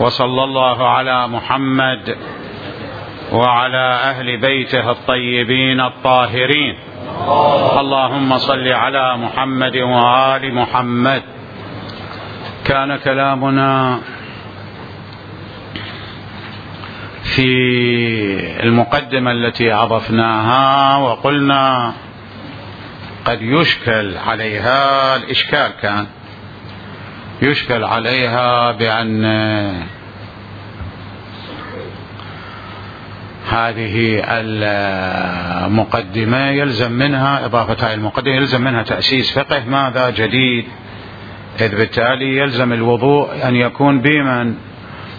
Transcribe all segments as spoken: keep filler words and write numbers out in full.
وصلى الله على محمد وعلى أهل بيته الطيبين الطاهرين. اللهم صل على محمد وآل محمد. كان كلامنا في المقدمة التي أضفناها وقلنا قد يشكل عليها، الإشكال كان يشكل عليها بأن هذه المقدمة يلزم منها إضافة هذه المقدمة يلزم منها تأسيس فقه ماذا جديد، إذ بالتالي يلزم الوضوء أن يكون بمن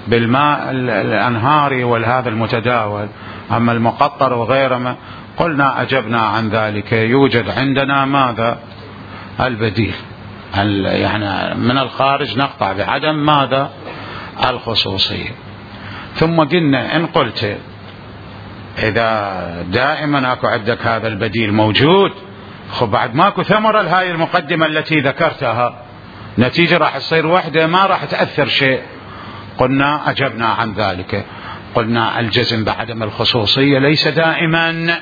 بالماء الأنهاري والهذا المتداول، أما المقطر وغيره ما قلنا أجبنا عن ذلك. يوجد عندنا ماذا البديل، يعني من الخارج نقطع بعدم ماذا الخصوصية. ثم قلنا إن قلت إذا دائما أكو عندك هذا البديل موجود، خب بعد ماكو ثمرة لهاي المقدمة التي ذكرتها، نتيجة راح تصير وحدة ما راح تأثر شيء. قلنا أجبنا عن ذلك، قلنا الجزم بعدم الخصوصية ليس دائما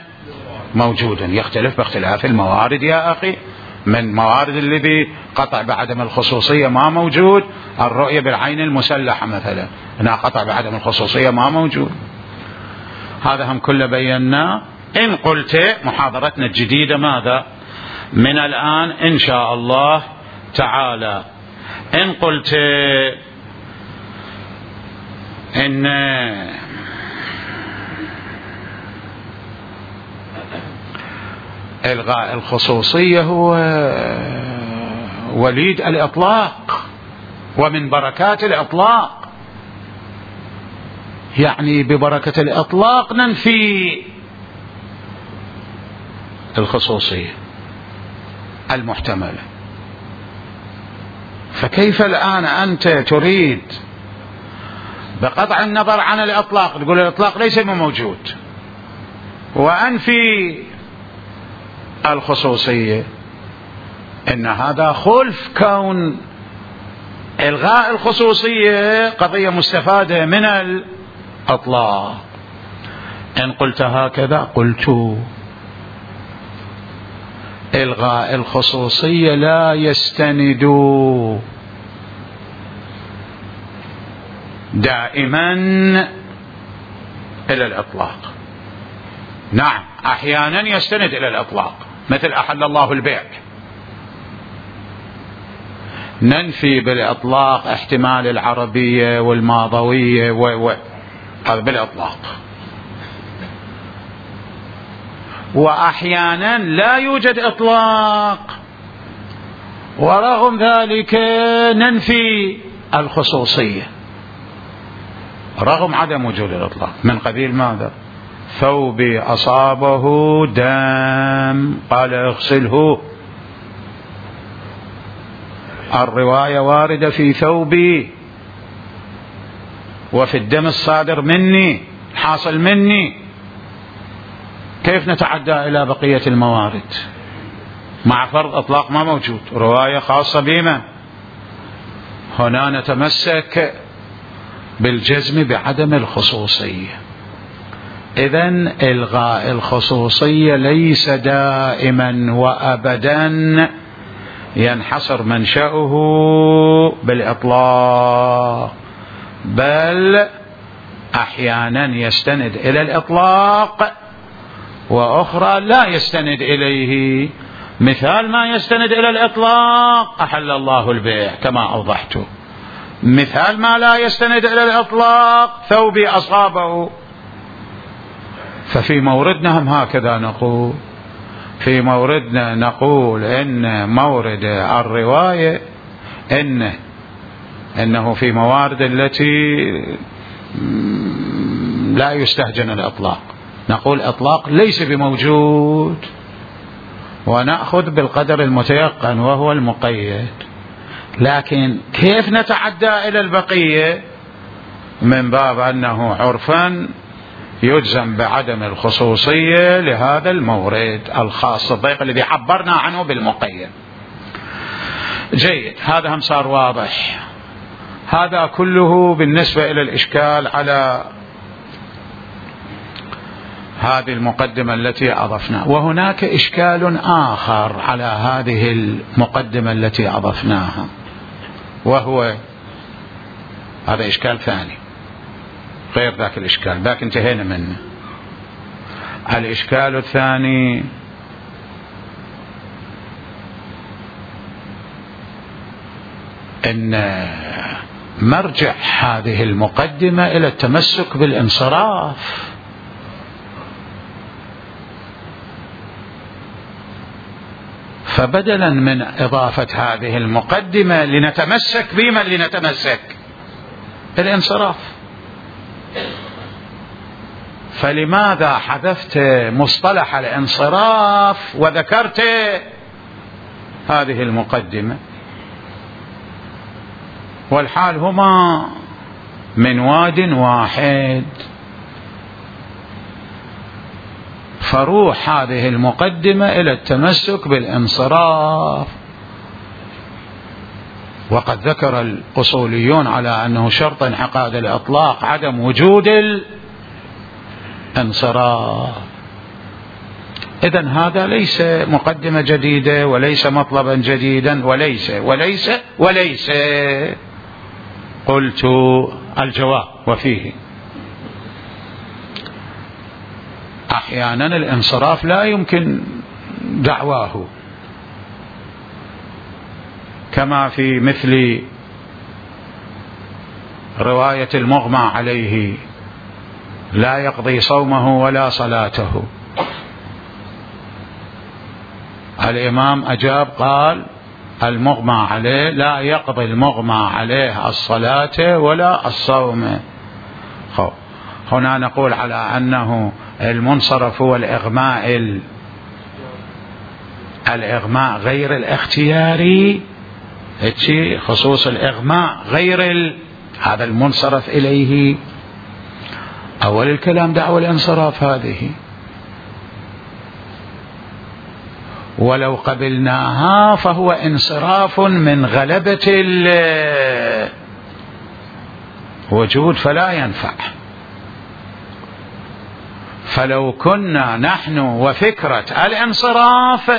موجودا، يختلف باختلاف الموارد يا أخي. من موارد الذي قطع بعدم الخصوصية ما موجود الرؤية بالعين المسلحة مثلا، هنا قطع بعدم الخصوصية ما موجود. هذا هم كله بينا. إن قلت محاضرتنا الجديدة ماذا من الآن إن شاء الله تعالى، إن قلت إن إلغاء الخصوصية هو وليد الإطلاق ومن بركات الإطلاق، يعني ببركة الإطلاق ننفي الخصوصية المحتملة. فكيف الآن أنت تريد بقطع النظر عن الإطلاق تقول الإطلاق ليس موجود وأنفي الخصوصية؟ إن هذا خلف كون إلغاء الخصوصية قضية مستفادة من الإطلاق. إن قلت هكذا قلت إلغاء الخصوصية لا يستند دائما إلى الإطلاق. نعم أحيانا يستند إلى الإطلاق، مثل أحل الله البيع، ننفي بالإطلاق احتمال العربية والماضوية و... هذا بالإطلاق. وأحيانا لا يوجد إطلاق ورغم ذلك ننفي الخصوصية رغم عدم وجود الإطلاق، من قبيل ماذا؟ ثوبي أصابه دم قال اغسله، الرواية واردة في ثوبي وفي الدم الصادر مني حاصل مني، كيف نتعدى إلى بقية الموارد مع فرض إطلاق ما موجود، رواية خاصة بما هنا نتمسك بالجزم بعدم الخصوصية. إذن إلغاء الخصوصية ليس دائما وأبدا ينحصر منشأه بالإطلاق، بل أحيانا يستند إلى الإطلاق وأخرى لا يستند إليه. مثال ما يستند إلى الإطلاق أحل الله البيع كما أوضحت، مثال ما لا يستند إلى الإطلاق ثوبي أصابه. ففي موردنا هم هكذا نقول، في موردنا نقول إن مورد الرواية إن إنه في موارد التي لا يستهجن الإطلاق نقول إطلاق ليس بموجود، ونأخذ بالقدر المتيقن وهو المقيد. لكن كيف نتعدى إلى البقية؟ من باب أنه عرفا يجزم بعدم الخصوصية لهذا المورد الخاص الضيق الذي عبرنا عنه بالمقيد. جيد، هذا هم صار واضح. هذا كله بالنسبة إلى الإشكال على هذه المقدمة التي أضفناها. وهناك إشكال آخر على هذه المقدمة التي أضفناها، وهو هذا إشكال ثاني غير ذاك الإشكال، ذاك انتهينا منه. الإشكال الثاني أن مرجع هذه المقدمة إلى التمسك بالانصراف، فبدلا من إضافة هذه المقدمة لنتمسك بمن لنتمسك بالانصراف، فلماذا حذفت مصطلح الانصراف وذكرت هذه المقدمة؟ والحال هما من واد واحد. فروح هذه المقدمة إلى التمسك بالانصراف، وقد ذكر الأصوليون على أنه شرط انعقاد الإطلاق عدم وجود الانصراف. إذن هذا ليس مقدمة جديدة وليس مطلبا جديدا وليس وليس وليس قلت الجواب وفيه. أحيانا الانصراف لا يمكن دعواه، كما في مثل رواية المغمى عليه لا يقضي صومه ولا صلاته. الإمام أجاب قال المغمى عليه لا يقضي المغمى عليه الصلاة ولا الصوم. هنا نقول على أنه المنصرف هو الإغماء الإغماء غير الاختياري، خصوص الإغماء غير ال... هذا المنصرف إليه. أول الكلام دعوة الانصراف هذه، ولو قبلناها فهو انصراف من غلبة الوجود فلا ينفع. فلو كنا نحن وفكرة الانصراف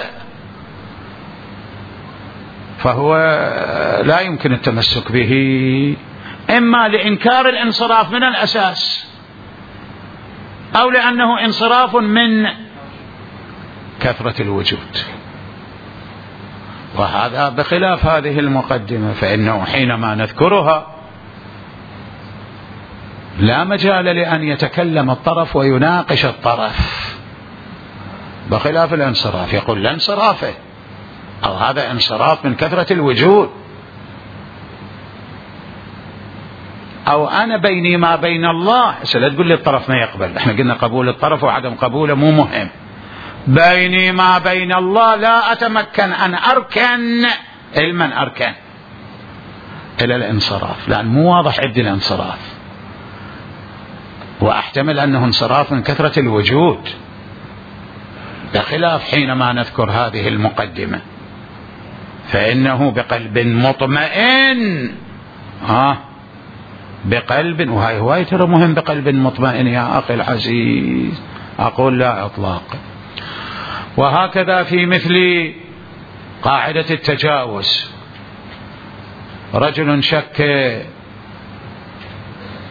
فهو لا يمكن التمسك به، إما لإنكار الانصراف من الأساس، أو لأنه انصراف من كثرة الوجود. وهذا بخلاف هذه المقدمة، فإنه حينما نذكرها لا مجال لأن يتكلم الطرف ويناقش الطرف، بخلاف الانصراف يقول لا انصرافه، أو هذا انصراف من كثرة الوجود، أو أنا بيني ما بين الله. لا تقول لي الطرف ما يقبل، احنا قلنا قبول الطرف وعدم قبوله مو مهم. بيني ما بين الله لا أتمكن أن أركن علما أركن إلى الانصراف، لأن مو واضح عندي الانصراف، وأحتمل أنه انصراف من كثرة الوجود، بخلاف حينما نذكر هذه المقدمة فإنه بقلب مطمئن. ها بقلب، وهاي هواي ترى مهم، بقلب مطمئن يا أخي العزيز، أقول لا إطلاق. وهكذا في مثل قاعدة التجاوز، رجل شك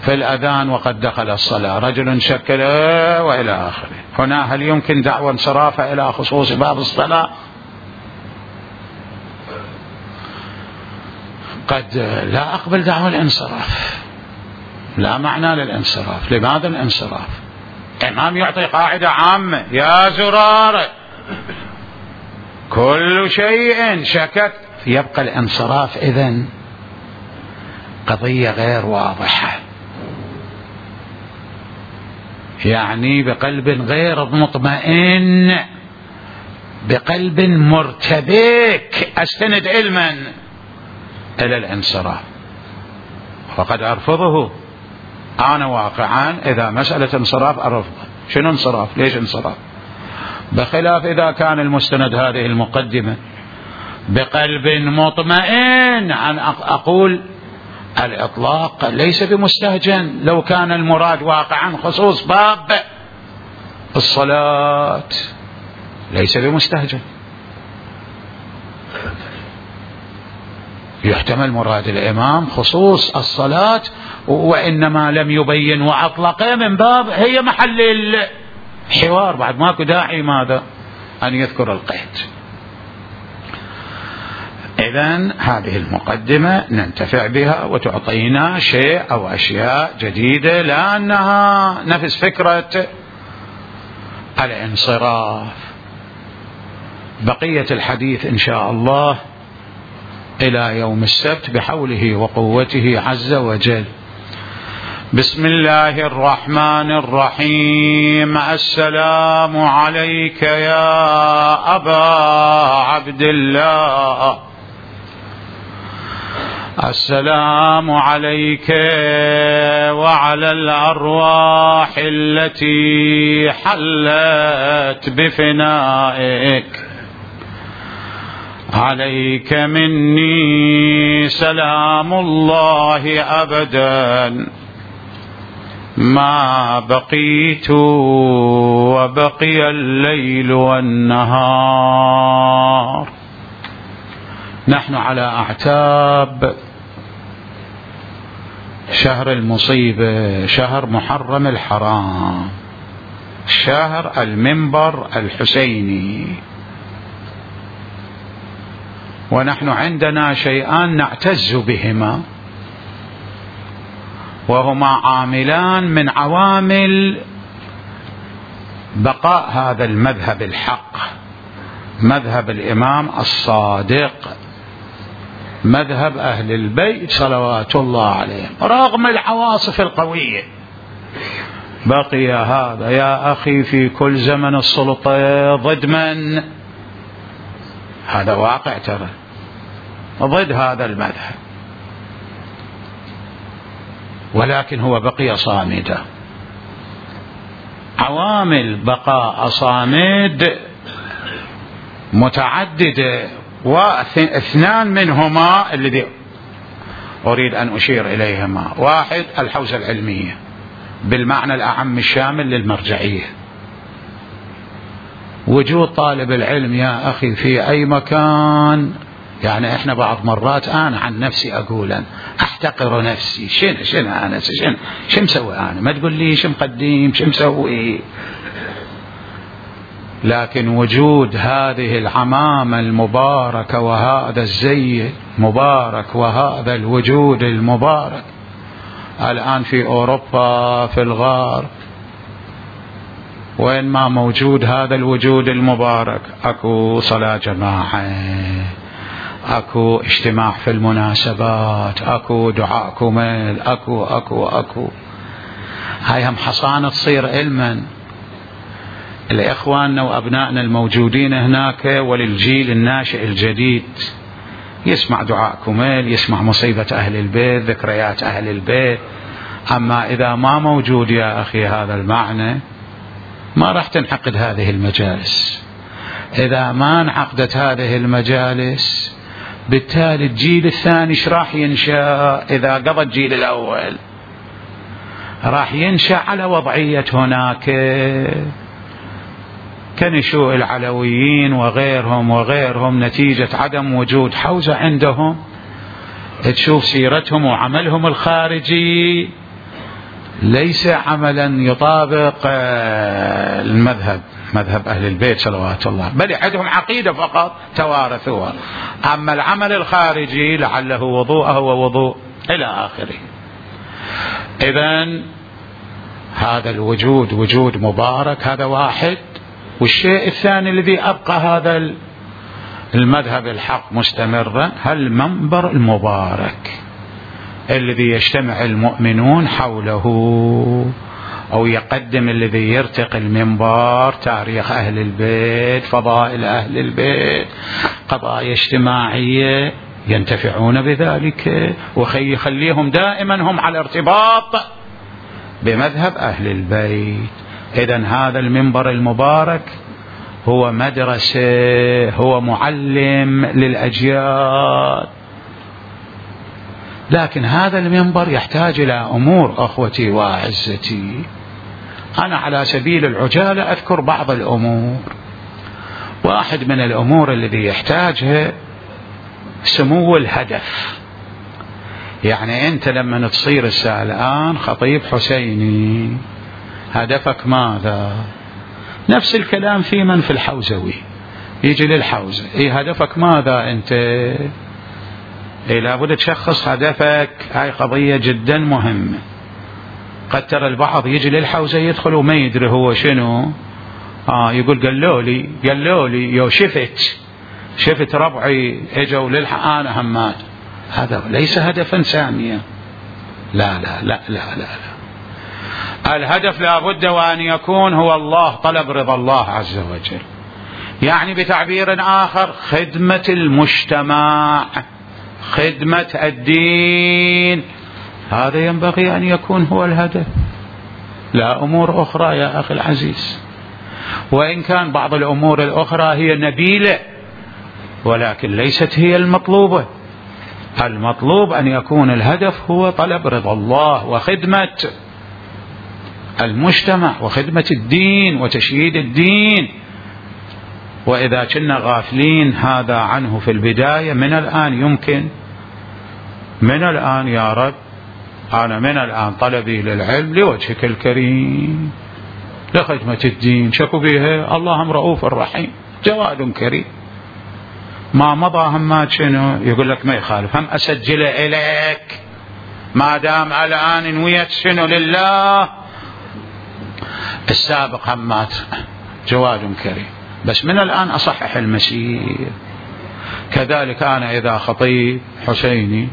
في الأذان وقد دخل الصلاة، رجل شك وإلى آخره. هنا هل يمكن دعوى انصرافه إلى خصوص باب الصلاة؟ قد لا أقبل دعوى الانصراف، لا معنى للانصراف. لماذا الانصراف؟ الإمام يعطي قاعدة عامة، يا زرار كل شيء شكك، يبقى الانصراف إذن قضية غير واضحة، يعني بقلب غير مطمئن، بقلب مرتبك أستند علما إلى الانصراف، وقد أرفضه أنا واقعا. إذا مسألة انصراف أرفضه. شنو انصراف؟ ليش انصراف؟ بخلاف إذا كان المستند هذه المقدمة بقلب مطمئن، عن أقول الإطلاق ليس بمستهجن لو كان المراد واقعا خصوص باب الصلاة، ليس بمستهجن. يحتمل مراد الإمام خصوص الصلاة، وإنما لم يبين وأطلق من باب هي محل الحوار، بعد ماكو داعي ماذا أن يذكر القيد. إذن هذه المقدمة ننتفع بها وتعطينا شيء أو أشياء جديدة، لأنها نفس فكرة الانصراف. بقية الحديث إن شاء الله إلى يوم السبت بحوله وقوته عز وجل. بسم الله الرحمن الرحيم. السلام عليك يا أبا عبد الله، السلام عليك وعلى الأرواح التي حلت بفنائك، عليك مني سلام الله أبدا ما بقيت وبقي الليل والنهار. نحن على أعتاب شهر المصيبة، شهر محرم الحرام، شهر المنبر الحسيني، ونحن عندنا شيئان نعتز بهما، وهما عاملان من عوامل بقاء هذا المذهب الحق، مذهب الإمام الصادق، مذهب أهل البيت صلوات الله عليهم، رغم العواصف القوية. بقي هذا يا أخي في كل زمن السلطة ضد من؟ هذا واقع ترى، ضد هذا المذهب، ولكن هو بقي صامدا. عوامل بقاء صامد متعددة، واثنان منهما الذي أريد أن أشير إليهما. واحد الحوزة العلمية بالمعنى الأعم الشامل للمرجعية، وجود طالب العلم يا أخي في أي مكان. يعني إحنا بعض مرات أنا عن نفسي أقول أحتقر نفسي، شنو شنو أنا شنو شو مسوي أنا، ما تقول لي شو مقدم شو مسوي. لكن وجود هذه العمامة المباركة وهذا الزي المبارك وهذا الوجود المبارك الآن في أوروبا في الغرب، وين ما موجود هذا الوجود المبارك أكو صلاة جماعة، أكو اجتماع في المناسبات، أكو دعاء كمل، أكو أكو أكو هاي هم حصانة تصير علما. الإخواننا وأبنائنا الموجودين هناك وللجيل الناشئ الجديد يسمع دعاء كمل، يسمع مصيبة أهل البيت، ذكريات أهل البيت. أما إذا ما موجود يا أخي هذا المعنى ما راح تنعقد هذه المجالس. إذا ما انعقدت هذه المجالس بالتالي الجيل الثاني ايش راح ينشأ؟ إذا قضى الجيل الأول راح ينشأ على وضعية هناك كنشوء العلويين وغيرهم وغيرهم نتيجة عدم وجود حوزة عندهم. تشوف سيرتهم وعملهم الخارجي ليس عملا يطابق المذهب، مذهب أهل البيت صلوات الله، بل عندهم عقيدة فقط توارثوها. أما العمل الخارجي لعله وضوءه ووضوء إلى آخره. إذن هذا الوجود وجود مبارك، هذا واحد. والشيء الثاني الذي أبقى هذا المذهب الحق مستمرا هالمنبر المبارك الذي يجتمع المؤمنون حوله، أو يقدم الذي يرتقي المنبر تاريخ أهل البيت، فضائل أهل البيت، قضايا اجتماعية ينتفعون بذلك، ويخليهم دائما هم على ارتباط بمذهب أهل البيت. إذن هذا المنبر المبارك هو مدرسة، هو معلم للأجيال. لكن هذا المنبر يحتاج إلى أمور أخوتي وأعزتي. أنا على سبيل العجالة أذكر بعض الأمور. واحد من الأمور الذي يحتاجها سمو الهدف. يعني أنت لما تصير الآن خطيب حسيني هدفك ماذا؟ نفس الكلام في من في الحوزوي يجي للحوزة، إيه هدفك ماذا أنت؟ إيه لابد تشخص هدفك. هاي قضية جدا مهمة. قد ترى البعض يجي للحوزة يدخل وما يدري هو شنو، آه يقول قالوا لي قالوا لي يو شفت شفت ربعي اجوا للحق أنا همات. هذا ليس هدفا ساميا. لا لا لا لا لا, لا. الهدف لابد وأن يكون هو الله، طلب رضا الله عز وجل. يعني بتعبير آخر خدمة المجتمع، خدمة الدين، هذا ينبغي أن يكون هو الهدف، لا أمور أخرى يا أخي العزيز. وإن كان بعض الأمور الأخرى هي نبيلة ولكن ليست هي المطلوبة. المطلوب أن يكون الهدف هو طلب رضا الله وخدمة المجتمع وخدمة الدين وتشييد الدين. وإذا كنا غافلين هذا عنه في البداية، من الآن يمكن من الآن يا رب أنا من الآن طلبي للعلم لوجهك الكريم لخدمة الدين، شكو بها اللهم رؤوف الرحيم جواد كريم. ما مضى همات شنو يقول لك ما يخالف، هم أسجل إليك ما دام الآن نويت شنو لله. السابق همات جواد كريم، بس من الآن أصحح المسير. كذلك أنا إذا خطيب حسيني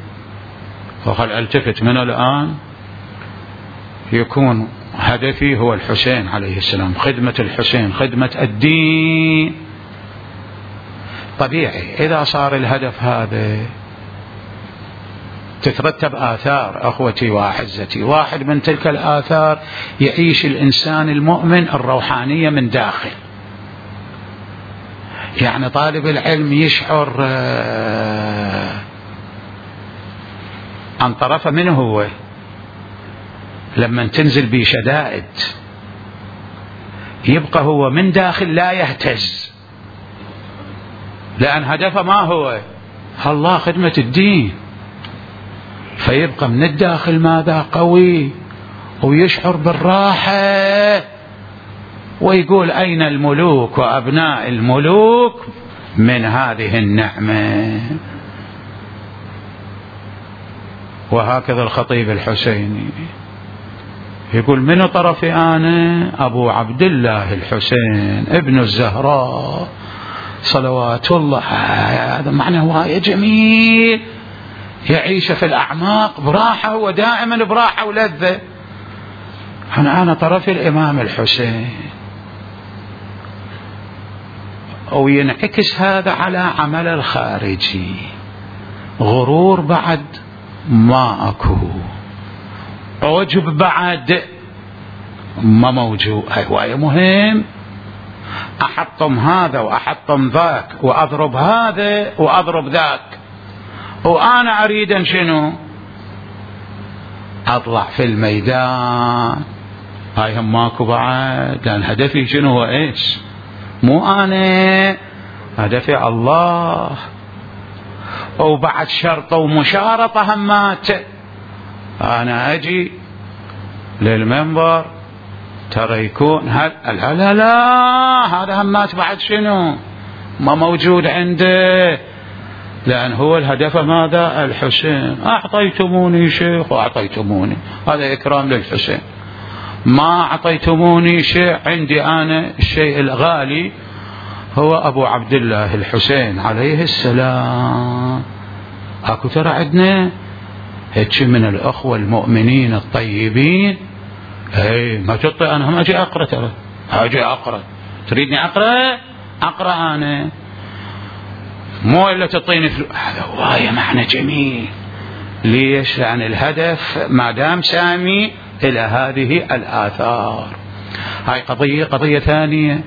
وخل التفت من الآن يكون هدفي هو الحسين عليه السلام، خدمة الحسين، خدمة الدين. طبيعي إذا صار الهدف هذا تترتب آثار أخوتي وأعزتي. واحد من تلك الآثار يعيش الإنسان المؤمن الروحانية من داخل. يعني طالب العلم يشعر عن طرفه منه هو لما تنزل به شدائد يبقى هو من داخل لا يهتز، لأن هدفه ما هو الله خدمة الدين، فيبقى من الداخل ماذا قوي ويشعر بالراحة ويقول أين الملوك وأبناء الملوك من هذه النعمة. وهكذا الخطيب الحسيني يقول من طرفي أنا أبو عبد الله الحسين ابن الزهراء صلوات الله. هذا معنى هواية جميل، يعيش في الأعماق براحة ودائما براحة ولذة. أنا أنا طرفي الإمام الحسين. وينعكس هذا على عمل الخارجي، غرور بعد ما أكو، عجب بعد ما موجود. هواية مهم. أحطم هذا وأحطم ذاك وأضرب هذا وأضرب ذاك، وأنا أريد أن شنو أطلع في الميدان. هاي هم ماكو بعد، لأن هدفي شنو هو إيش؟ مو أنا، هدفي الله. وبعد شرطة ومشارطة همات. أنا أجي للمنبر ترى يكون هل لا لا لا هذا همات بعد شنو ما موجود عنده، لأن هو الهدف ماذا؟ الحسين. أعطيتموني شيخ وأعطيتموني، هذا إكرام للحسين. ما أعطيتموني شيء، عندي أنا الشيء الغالي هو أبو عبد الله الحسين عليه السلام. أكو ترى عندنا هيك من الأخوة المؤمنين الطيبين. هي ما تطي أنا هم أجي أقرأ، ترى أجي أقرأ، تريدني أقرأ أقرأ أنا، مو إلا تعطيني فلوس. هذا هواية معنى جميل. ليش؟ لأن الهدف ما دام سامي إلى هذه الآثار. هاي قضية. قضية ثانية،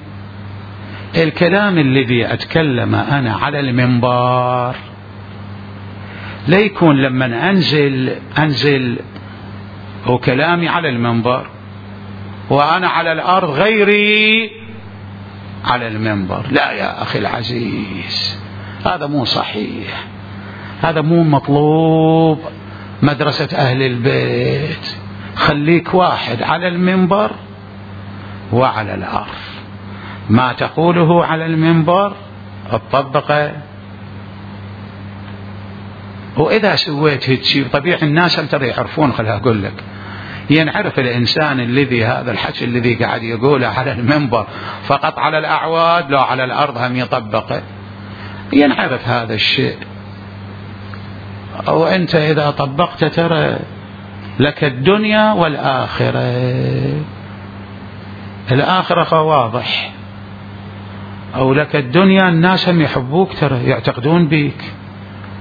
الكلام الذي أتكلم أنا على المنبر لا يكون لما أنزل أنزل وكلامي على المنبر وأنا على الأرض غيري على المنبر. لا يا أخي العزيز، هذا مو صحيح، هذا مو مطلوب. مدرسة أهل البيت خليك واحد على المنبر وعلى الأرض، ما تقوله على المنبر تطبقه. وإذا سويت هيك طبيعي الناس ترى يعرفون. خلها أقول لك، ينعرف الإنسان الذي هذا الحكي الذي قاعد يقوله على المنبر فقط على الأعواد، لو على الأرض هم يطبقه، ينعرف هذا الشيء. وأنت إذا طبقت ترى لك الدنيا والآخرة. الآخرة واضح، أو لك الدنيا الناس هم يحبوك ترى، يعتقدون بيك،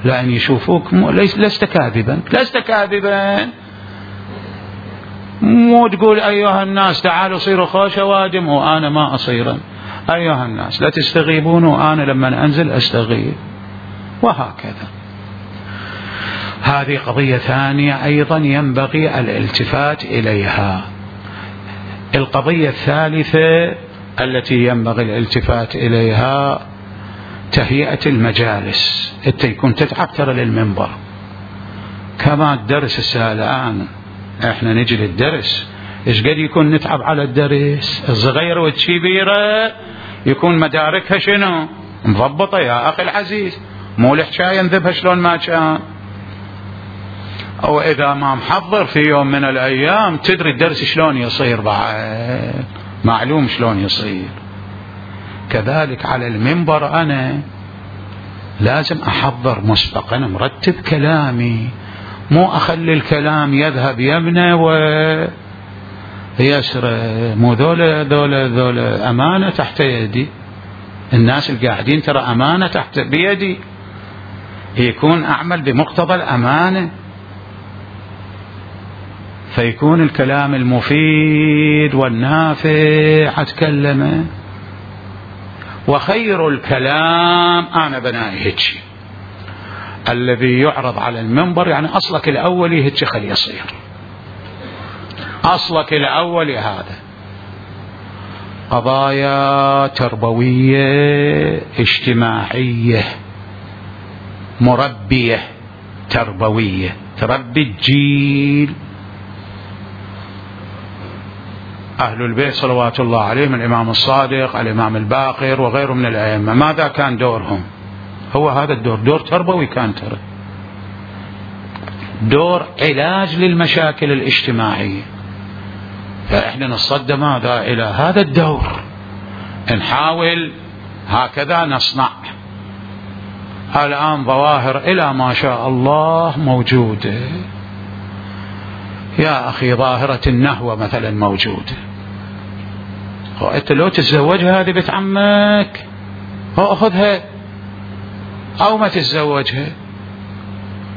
لأن يشوفوك لست كاذبا، لست كاذبا. مو تقول أيها الناس تعالوا صيروا خوش وادم وأنا ما أصيرا. أيها الناس لا تستغيبون وأنا لما أنزل أستغيب، وهكذا. هذه قضية ثانية أيضا ينبغي الالتفات إليها. القضية الثالثة التي ينبغي الالتفات إليها تهيئة المجالس. أنت يكون تتعب ترى للمنبر، كما الدرس الساعة الآن احنا نجي للدرس ايش قد يكون نتعب على الدرس. الصغيرة والكبيرة يكون مداركها شنو مضبطة يا أخي العزيز، مو الحكاية نذبها شلون ما كان. أو إذا ما محضر في يوم من الأيام تدري الدرس شلون يصير، بعد معلوم شلون يصير. كذلك على المنبر أنا لازم أحضر مسبقا، مرتب كلامي، مو أخلي الكلام يذهب يمنى ويسرى. مو ذولا ذولا ذولا أمانة تحت يدي، الناس القاعدين ترى أمانة تحت بيدي، يكون أعمل بمقتضى الأمانة، فيكون الكلام المفيد والنافع أتكلمه. وخير الكلام أنا بنائي هيك الذي يعرض على المنبر، يعني أصلك الأولي هيك خلي يصير، أصلك الأولي هذا قضايا تربوية اجتماعية مربية تربوية، تربي الجيل. أهل البيت صلوات الله عليهم، الإمام الصادق، الإمام الباقر وغيره من الأئمة، ماذا كان دورهم؟ هو هذا الدور، دور تربوي كان ترى، دور علاج للمشاكل الاجتماعية. فإحنا نصدى ماذا إلى هذا الدور، نحاول هكذا نصنع. الآن ظواهر إلى ما شاء الله موجودة يا أخي، ظاهرة النهوة مثلا موجودة، وأنت لو تتزوجها هذه بنت عمك أخذها، أو ما تتزوجها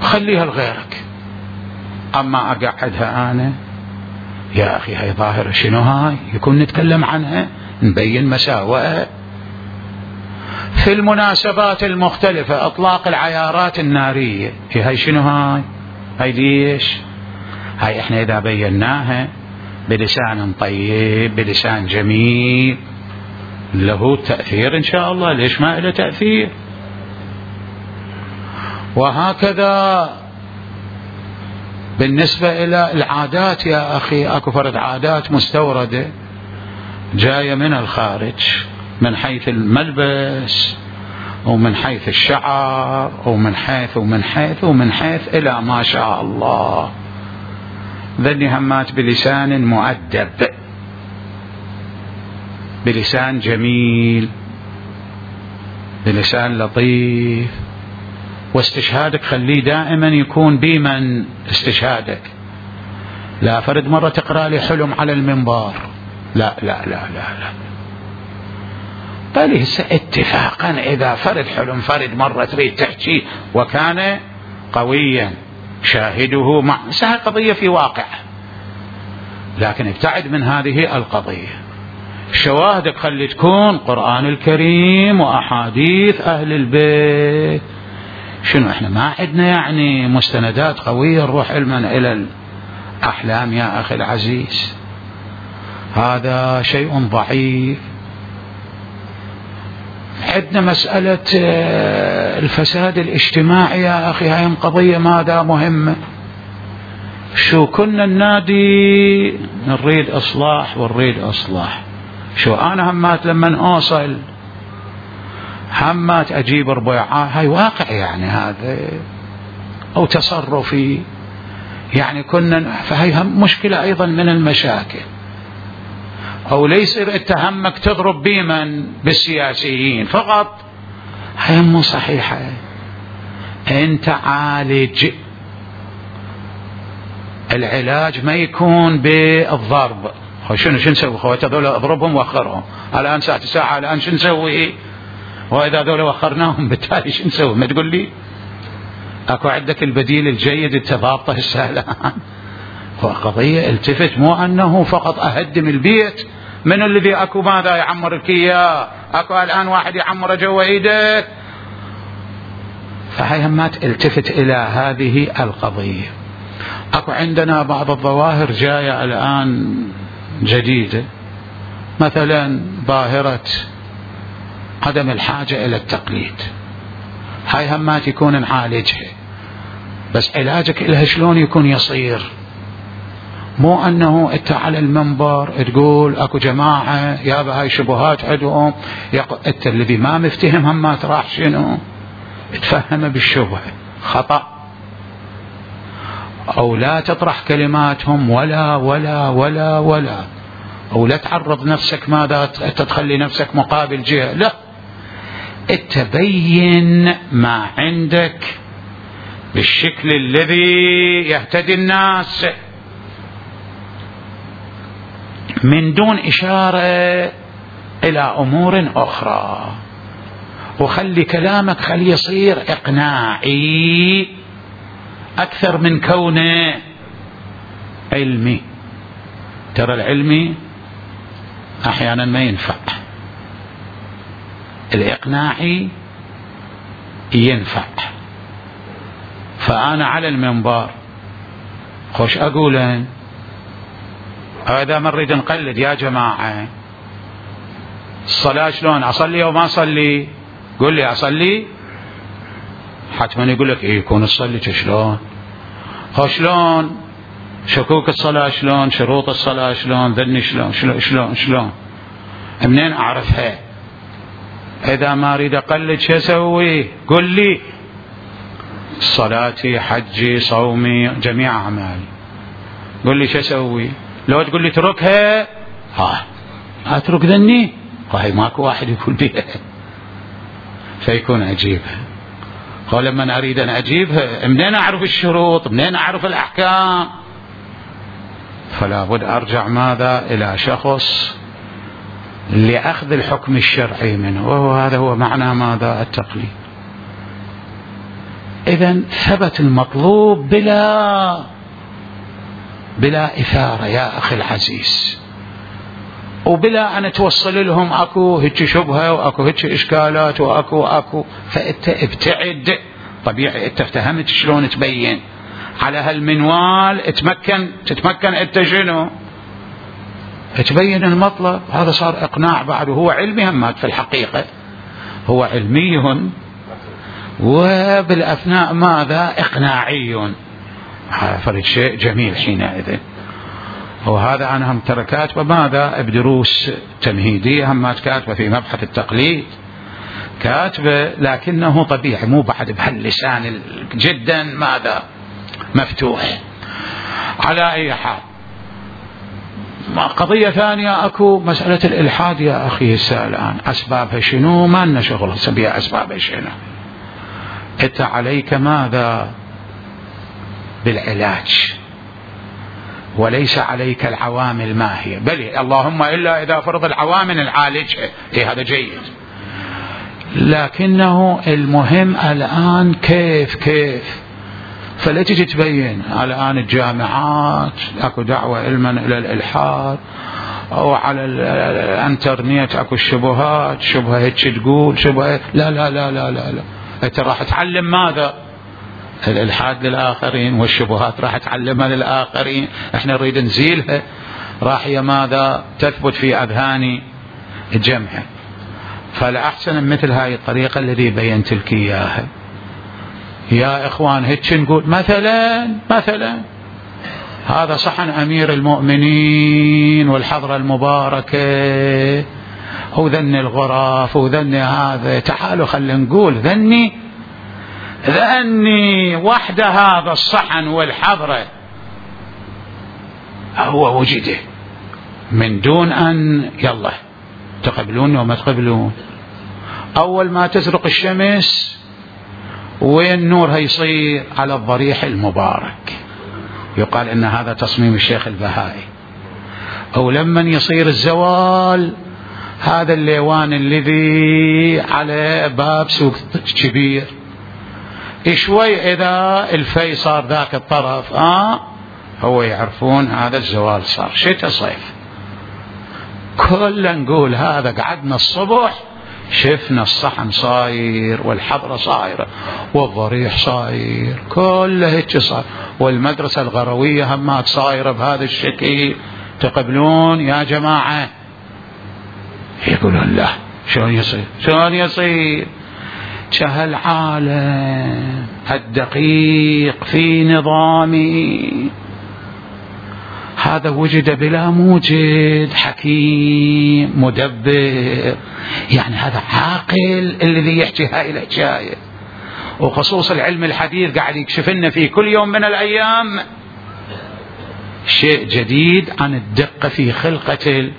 خليها لغيرك. أما أقعدها أنا يا أخي، هاي ظاهرة شنو هاي؟ يكون نتكلم عنها، نبين مساوئها في المناسبات المختلفة، أطلاق العيارات النارية، هاي شنو هاي؟ هاي ليش؟ هاي إحنا إذا بيناها بلسان طيب بلسان جميل له تأثير إن شاء الله، ليش ما له تأثير؟ وهكذا بالنسبة إلى العادات يا أخي، أكو فرد عادات مستوردة جاية من الخارج، من حيث الملبس ومن حيث الشعر ومن حيث ومن حيث ومن حيث إلى ما شاء الله. ذني همات بلسان مؤدب، بلسان جميل، بلسان لطيف. واستشهادك خليه دائما يكون بمن استشهادك، لا فرد مرة تقرأ لي حلم على المنبر، لا لا لا لا لا بل اتفاقا إذا فرد حلم فرد مرة تريد تحكي وكان قويا شاهده مع سهل قضية في واقع، لكن ابتعد من هذه القضية. شواهدك خلي تكون قرآن الكريم وأحاديث أهل البيت، شنو احنا ما عندنا يعني مستندات قوية نروح علما الى الاحلام يا اخي العزيز؟ هذا شيء ضعيف. عندنا مسألة الفساد الاجتماعي يا اخي، هاي قضية ماذا مهمة. شو كنا النادي نريد اصلاح ونريد اصلاح، شو انا همات لما اوصل همات اجيب ربيعات، هاي واقع يعني هذا او تصرفي يعني كنا، فهي مشكلة ايضا من المشاكل. او ليس اتهمك تضرب بمن بالسياسيين فقط، هاي مو صحيحة. انت عالج، العلاج ما يكون بالضرب. شنو شو نسوي خوات هذول؟ اضربهم واخرهم الان ساعة ساعة الان شو نسوي؟ واذا هذول وخرناهم بالتالي شو نسوي؟ ما تقول لي اكو عندك البديل الجيد التضابطه السهلة. فقضية التفت، مو انه فقط اهدم البيت. من الذي اكو ماذا يعمر لك اياه؟ اكو الان واحد يعمر جوا ايدك. فهي همات التفت الى هذه القضية. اكو عندنا بعض الظواهر جاية الان جديدة، مثلا ظاهرة عدم الحاجة الى التقليد. هاي همات يكون نعالجها، بس علاجك لها شلون يكون يصير؟ مو انه انت على المنبر تقول اكو جماعة يابا هاي شبهات عندهم، انت الذي ما مفتهم همات راح شنو تفهم بالشبهة خطأ، او لا تطرح كلماتهم ولا ولا ولا ولا او لا تعرض نفسك ماذا تتخلي نفسك مقابل جهة، لا تبين ما عندك بالشكل الذي يهتدي الناس من دون إشارة إلى أمور أخرى. وخلي كلامك خلي يصير إقناعي أكثر من كونه علمي. ترى العلمي أحيانا ما ينفع، الإقناعي ينفع. فأنا على المنبر خوش أقولن هذا ما نريد نقلد يا جماعة. الصلاة شلون أصلي أو ما أصلي؟ قل لي أصلي، حتما يقول لك إيه يكون الصلي شلون، هو شلون شكوك الصلاة شلون، شروط الصلاة شلون، ذني شلون شلون شلون شلون منين أعرفها؟ إذا ما أريد أقلد شو أسوي؟ قل لي صلاتي حجي صومي جميع أعمالي، قل لي شو أسوي؟ لو تقول لي تركها، ها أترك ذني، وهي ماكو واحد يقول بيها، فيكون أجيبها. ولما أريد أن أجيبها منين أعرف الشروط، منين أعرف الأحكام؟ فلا بد أرجع ماذا إلى شخص لأخذ الحكم الشرعي منه، وهو هذا هو معنى ماذا التقليد. إذن ثبت المطلوب بلا بلا إثارة يا أخي العزيز، وبلا أن توصل لهم أكو هيك شبهة وأكو هيك إشكالات وأكو أكو فأنت ابتعد. طبيعي أنت افتهمت شلون تبين على هالمنوال، تتمكن تتمكن أنت شنو تبين المطلب. هذا صار إقناع بعد، وهو علمي همات في الحقيقة، هو علمي وبالأثناء ماذا إقناعي. هذا فرق شيء جميل حينئذ. وهذا أنا هم ترى كاتبة ماذا بدروس تمهيدية، هم كاتبة في مبحث التقليد كاتبة، لكنه طبيعي مو بعد بهاللسان جدا ماذا مفتوح. على أي حال قضية ثانية أكو مسألة الإلحاد يا أخي هسه الآن أسبابها شنو؟ ما لنا شغل سبيها أسبابها شنو. أنت عليك ماذا بالعلاج، وليس عليك العوامل ما هي، بل اللهم إلا إذا فرض العوامل نعالجها، إيه هذا جيد. لكنه المهم الآن كيف كيف فلا تجي تبين الآن الجامعات أكو دعوة علما إلى الإلحاد، أو على الانترنت أكو الشبهات، شبهة هيك تقول شبهة لا لا لا لا لا, لا. انت راح تعلم ماذا؟ الالحاد للاخرين والشبهات راح تعلمها للاخرين، احنا نريد نزيلها، راح هي ماذا؟ تثبت في اذهان الجمع. فالاحسن مثل هاي الطريقه الذي بينت لك اياها. يا اخوان هيك نقول مثلا مثلا هذا صحن امير المؤمنين والحضره المباركه وذني الغرف وذني هذا، تعالوا خلينا نقول ذني ذني وحده هذا الصحن والحضره هو وجده من دون ان يلا تقبلون وما تقبلون. اول ما تزرق الشمس وين نورها يصير؟ على الضريح المبارك، يقال ان هذا تصميم الشيخ البهائي. او لما يصير الزوال هذا الليوان الذي على باب سوق كبير، شوي اذا الفي صار ذاك الطرف اه هو يعرفون هذا الزوال صار شتاء صيف. كلنا نقول هذا قعدنا الصبح شفنا الصحن صاير والحضرة صايرة والضريح صاير كله هيك صاير، والمدرسة الغروية همات صايرة بهذا الشكل. تقبلون يا جماعة؟ يقولون لا. شلون يصير؟ شلون يصير؟ كهالعالم الدقيق في نظامي هذا وجد بلا موجد، حكيم مدبر، يعني هذا عاقل الذي يحكي هاي الحكاية. وخصوص العلم الحديث قاعد يكشف لنا في كل يوم من الأيام شيء جديد عن الدقة في خلقة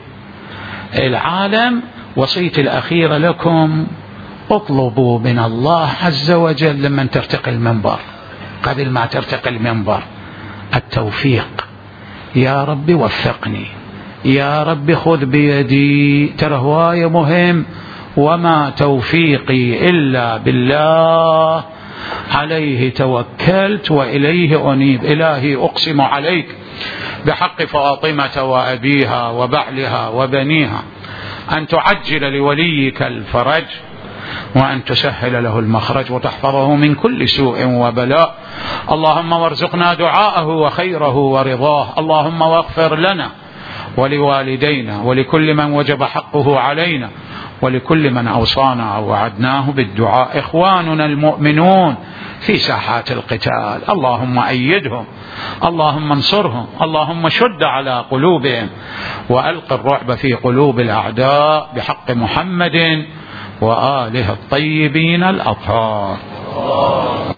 العالم. وصيتي الأخيرة لكم اطلبوا من الله عز وجل لمن ترتقي المنبر قبل ما ترتقي المنبر التوفيق. يا رب وفقني، يا رب خذ بيدي، ترى هواية مهم. وما توفيقي إلا بالله عليه توكلت وإليه أنيب. إلهي أقسم عليك بحق فاطمة وأبيها وبعلها وبنيها أن تعجل لوليك الفرج وأن تسهل له المخرج وتحفظه من كل سوء وبلاء. اللهم وارزقنا دعاءه وخيره ورضاه. اللهم واغفر لنا ولوالدينا ولكل من وجب حقه علينا ولكل من أوصانا أو وعدناه بالدعاء. إخواننا المؤمنون في ساحات القتال اللهم أيدهم، اللهم انصرهم، اللهم شد على قلوبهم وألق الرعب في قلوب الأعداء بحق محمد وآله الطيبين الأطهار.